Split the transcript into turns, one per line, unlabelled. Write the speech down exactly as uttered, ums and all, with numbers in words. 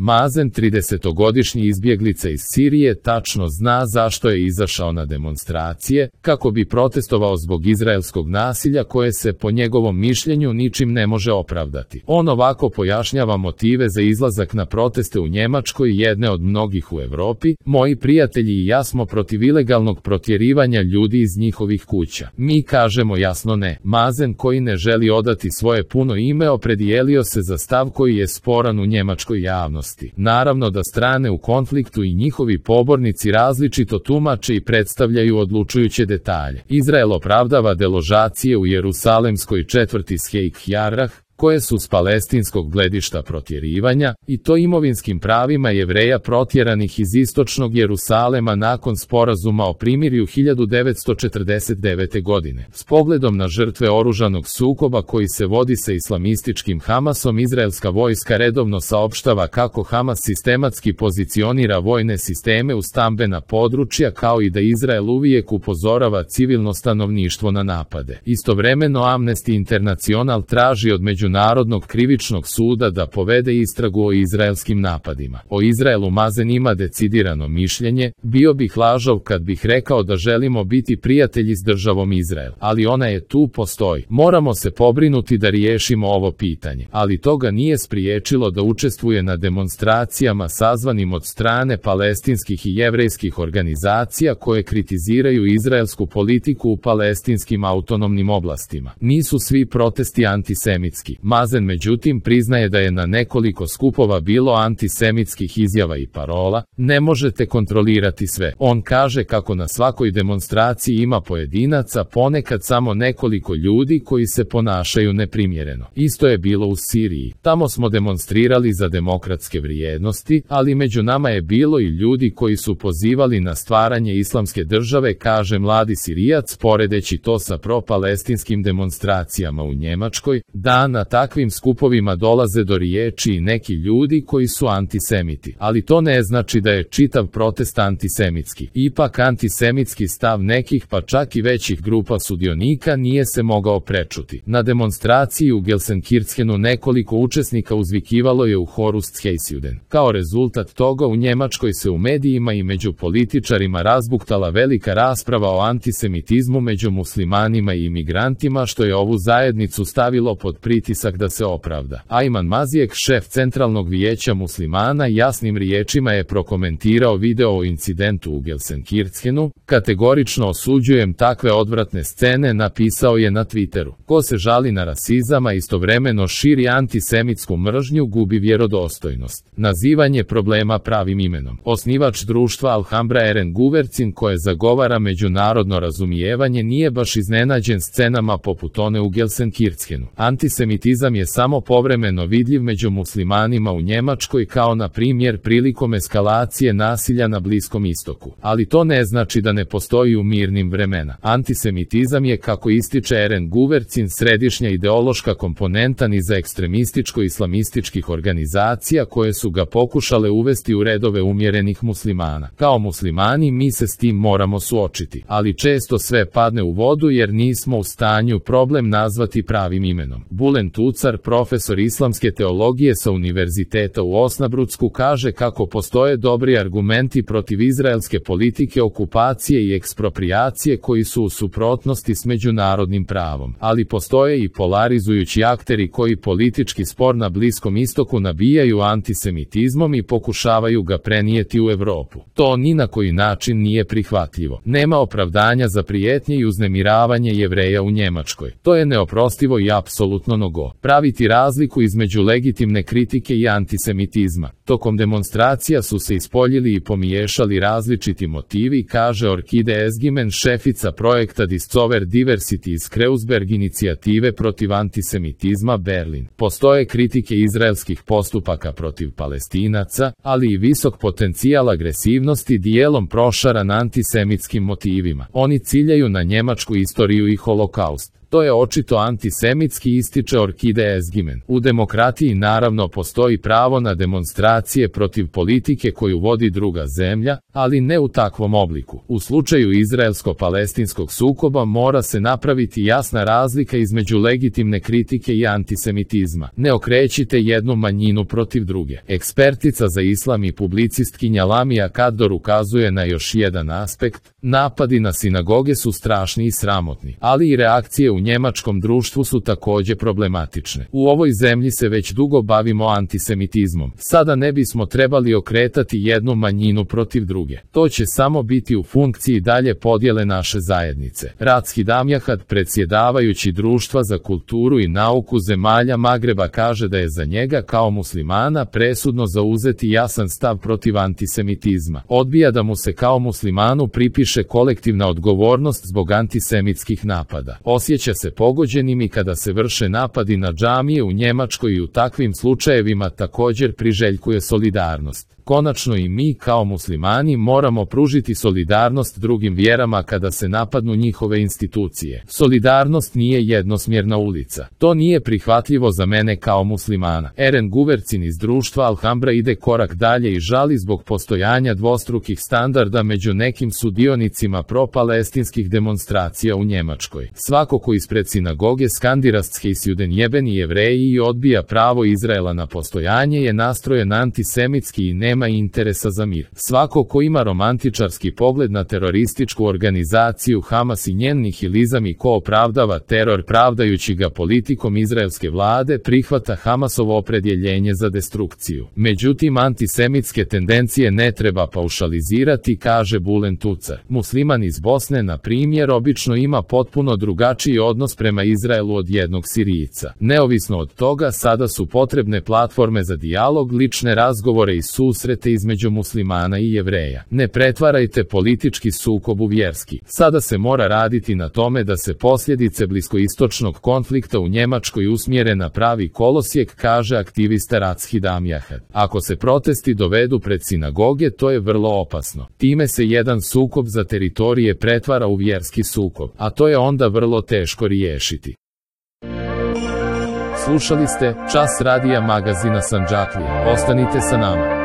Mazen, tridesetogodišnji izbjeglica iz Sirije, tačno zna zašto je izašao na demonstracije, kako bi protestovao zbog izraelskog nasilja koje se, po njegovom mišljenju, ničim ne može opravdati. On ovako pojašnjava motive za izlazak na proteste u Njemačkoj, jedne od mnogih u Europi: moji prijatelji i ja smo protiv ilegalnog protjerivanja ljudi iz njihovih kuća. Mi kažemo jasno ne. Mazen, koji ne želi odati svoje puno ime, opredijelio se za stav koji je sporan u njemačkoj javnosti. Naravno da strane u konfliktu i njihovi pobornici različito tumače i predstavljaju odlučujuće detalje. Izrael opravdava deložacije u jerusalemskoj četvrti Sheikh Jarrah, koje su s palestinskog gledišta protjerivanja, i to imovinskim pravima Jevreja protjeranih iz istočnog Jerusalema nakon sporazuma o primirju hiljadu devetsto četrdeset devete. godine. S pogledom na žrtve oružanog sukoba koji se vodi sa islamističkim Hamasom, izraelska vojska redovno saopštava kako Hamas sistematski pozicionira vojne sisteme u stambena područja, kao i da Izrael uvijek upozorava civilno stanovništvo na napade. Istovremeno Amnesty International traži od Međunarodnog krivičnog suda da povede istragu o izraelskim napadima. O Izraelu Mazen ima decidirano mišljenje: bio bih lažov kad bih rekao da želimo biti prijatelji s državom Izrael, ali ona je tu, postoji. Moramo se pobrinuti da riješimo ovo pitanje, ali toga nije spriječilo da učestvuje na demonstracijama sazvanim od strane palestinskih i jevrejskih organizacija koje kritiziraju izraelsku politiku u palestinskim autonomnim oblastima. Nisu svi protesti antisemitski. Mazen međutim priznaje da je na nekoliko skupova bilo antisemitskih izjava i parola: ne možete kontrolirati sve. On kaže kako na svakoj demonstraciji ima pojedinaca, ponekad samo nekoliko ljudi koji se ponašaju neprimjereno. Isto je bilo u Siriji. Tamo smo demonstrirali za demokratske vrijednosti, ali među nama je bilo i ljudi koji su pozivali na stvaranje islamske države, kaže mladi Sirijac, poredeći to sa pro-palestinskim demonstracijama u Njemačkoj. Da, na takvim skupovima dolaze do riječi i neki ljudi koji su antisemiti, ali to ne znači da je čitav protest antisemitski. Ipak antisemitski stav nekih, pa čak i većih grupa sudionika, nije se mogao prečuti. Na demonstraciji u Gelsenkirchenu nekoliko učesnika uzvikivalo je u Horustsheisjuden. Kao rezultat toga u Njemačkoj se u medijima i među političarima razbuktala velika rasprava o antisemitizmu među muslimanima i imigrantima, što je ovu zajednicu stavilo pod pritisak da se opravda. Ajman Mazijek, šef Centralnog vijeća muslimana, jasnim riječima je prokomentirao video o incidentu u Gelsenkirchenu: kategorično osuđujem takve odvratne scene, napisao je na Twitteru. Ko se žali na rasizam, a istovremeno širi antisemitsku mržnju, gubi vjerodostojnost. Nazivanje problema pravim imenom. Osnivač društva Alhambra Eren Guvercin, koje zagovara međunarodno razumijevanje, nije baš iznenađen scenama poput one u Gelsenkirchenu. Antisemitizam je samo povremeno vidljiv među muslimanima u Njemačkoj, kao na primjer prilikom eskalacije nasilja na Bliskom istoku. Ali to ne znači da ne postoji u mirnim vremena. Antisemitizam je, kako ističe Eren Guvercin, središnja ideološka komponenta niza ekstremističko-islamističkih organizacija koje su ga pokušale uvesti u redove umjerenih muslimana. Kao muslimani mi se s tim moramo suočiti, ali često sve padne u vodu jer nismo u stanju problem nazvati pravim imenom. Bulen Tucar, profesor islamske teologije sa Univerziteta u Osnabrucku, kaže kako postoje dobri argumenti protiv izraelske politike okupacije i eksproprijacije koji su u suprotnosti s međunarodnim pravom, ali postoje i polarizujući akteri koji politički spor na Bliskom istoku nabijaju antisemitizmom i pokušavaju ga prenijeti u Europu. To ni na koji način nije prihvatljivo. Nema opravdanja za prijetnje i uznemiravanje Jevreja u Njemačkoj. To je neoprostivo i apsolutno nogo. Praviti razliku između legitimne kritike i antisemitizma. Tokom demonstracija su se ispoljili i pomiješali različiti motivi, kaže Orkide Esgimen, šefica projekta Discover Diversity iz Kreuzberg inicijative protiv antisemitizma Berlin. Postoje kritike izraelskih postupaka protiv Palestinaca, ali i visok potencijal agresivnosti dijelom prošaran antisemitskim motivima. Oni ciljaju na njemačku istoriju i holokaust. To je očito antisemitski, ističe Orkide Ezgimen. U demokratiji naravno postoji pravo na demonstracije protiv politike koju vodi druga zemlja, ali ne u takvom obliku. U slučaju izraelsko-palestinskog sukoba mora se napraviti jasna razlika između legitimne kritike i antisemitizma. Ne okrećite jednu manjinu protiv druge. Ekspertica za islam i publicistkinja Lamia Kador ukazuje na još jedan aspekt. Napadi na sinagoge su strašni i sramotni, ali i reakcije u njemačkom društvu su također problematične. U ovoj zemlji se već dugo bavimo antisemitizmom. Sada ne bismo trebali okretati jednu manjinu protiv druge. To će samo biti u funkciji dalje podjele naše zajednice. Ratski Damjahad, predsjedavajući Društva za kulturu i nauku zemalja Magreba, kaže da je za njega kao muslimana presudno zauzeti jasan stav protiv antisemitizma. Odbija da mu se kao muslimanu pripiše kolektivna odgovornost zbog antisemitskih napada. Osjeća se pogođenim i kada se vrše napadi na džamije u Njemačkoj i u takvim slučajevima također priželjkuje solidarnost. Konačno i mi kao muslimani moramo pružiti solidarnost drugim vjerama kada se napadnu njihove institucije. Solidarnost nije jednosmjerna ulica. To nije prihvatljivo za mene kao muslimana. Eren Guvercin iz društva Alhambra ide korak dalje i žali zbog postojanja dvostrukih standarda među nekim sudionicima pro-palestinskih demonstracija u Njemačkoj. Svako ko ispred sinagoge skandira Sjuden jebeni Jevreji i odbija pravo Izraela na postojanje je nastrojen antisemitski i ne nema interesa za mir. Svako ko ima romantičarski pogled na terorističku organizaciju Hamas i njen nihilizam i ko opravdava teror pravdajući ga politikom izraelske vlade prihvata Hamasovo opredjeljenje za destrukciju. Međutim, antisemitske tendencije ne treba paušalizirati, kaže Bulen Tucar. Musliman iz Bosne, na primjer, obično ima potpuno drugačiji odnos prema Izraelu od jednog Sirijca. Neovisno od toga, sada su potrebne platforme za dijalog, lične razgovore i susrete između muslimana i Jevreja. Ne pretvarajte politički sukob u vjerski. Sada se mora raditi na tome da se posljedice bliskoistočnog konflikta u Njemačkoj usmjere na pravi kolosijek, kaže aktivista Ratski Damjahad. Ako se protesti dovedu pred sinagoge, to je vrlo opasno. Time se jedan sukob za teritorije pretvara u vjerski sukob, a to je onda vrlo teško riješiti. Slušali ste Čas radija magazina Sandžaklija. Ostanite sa nama.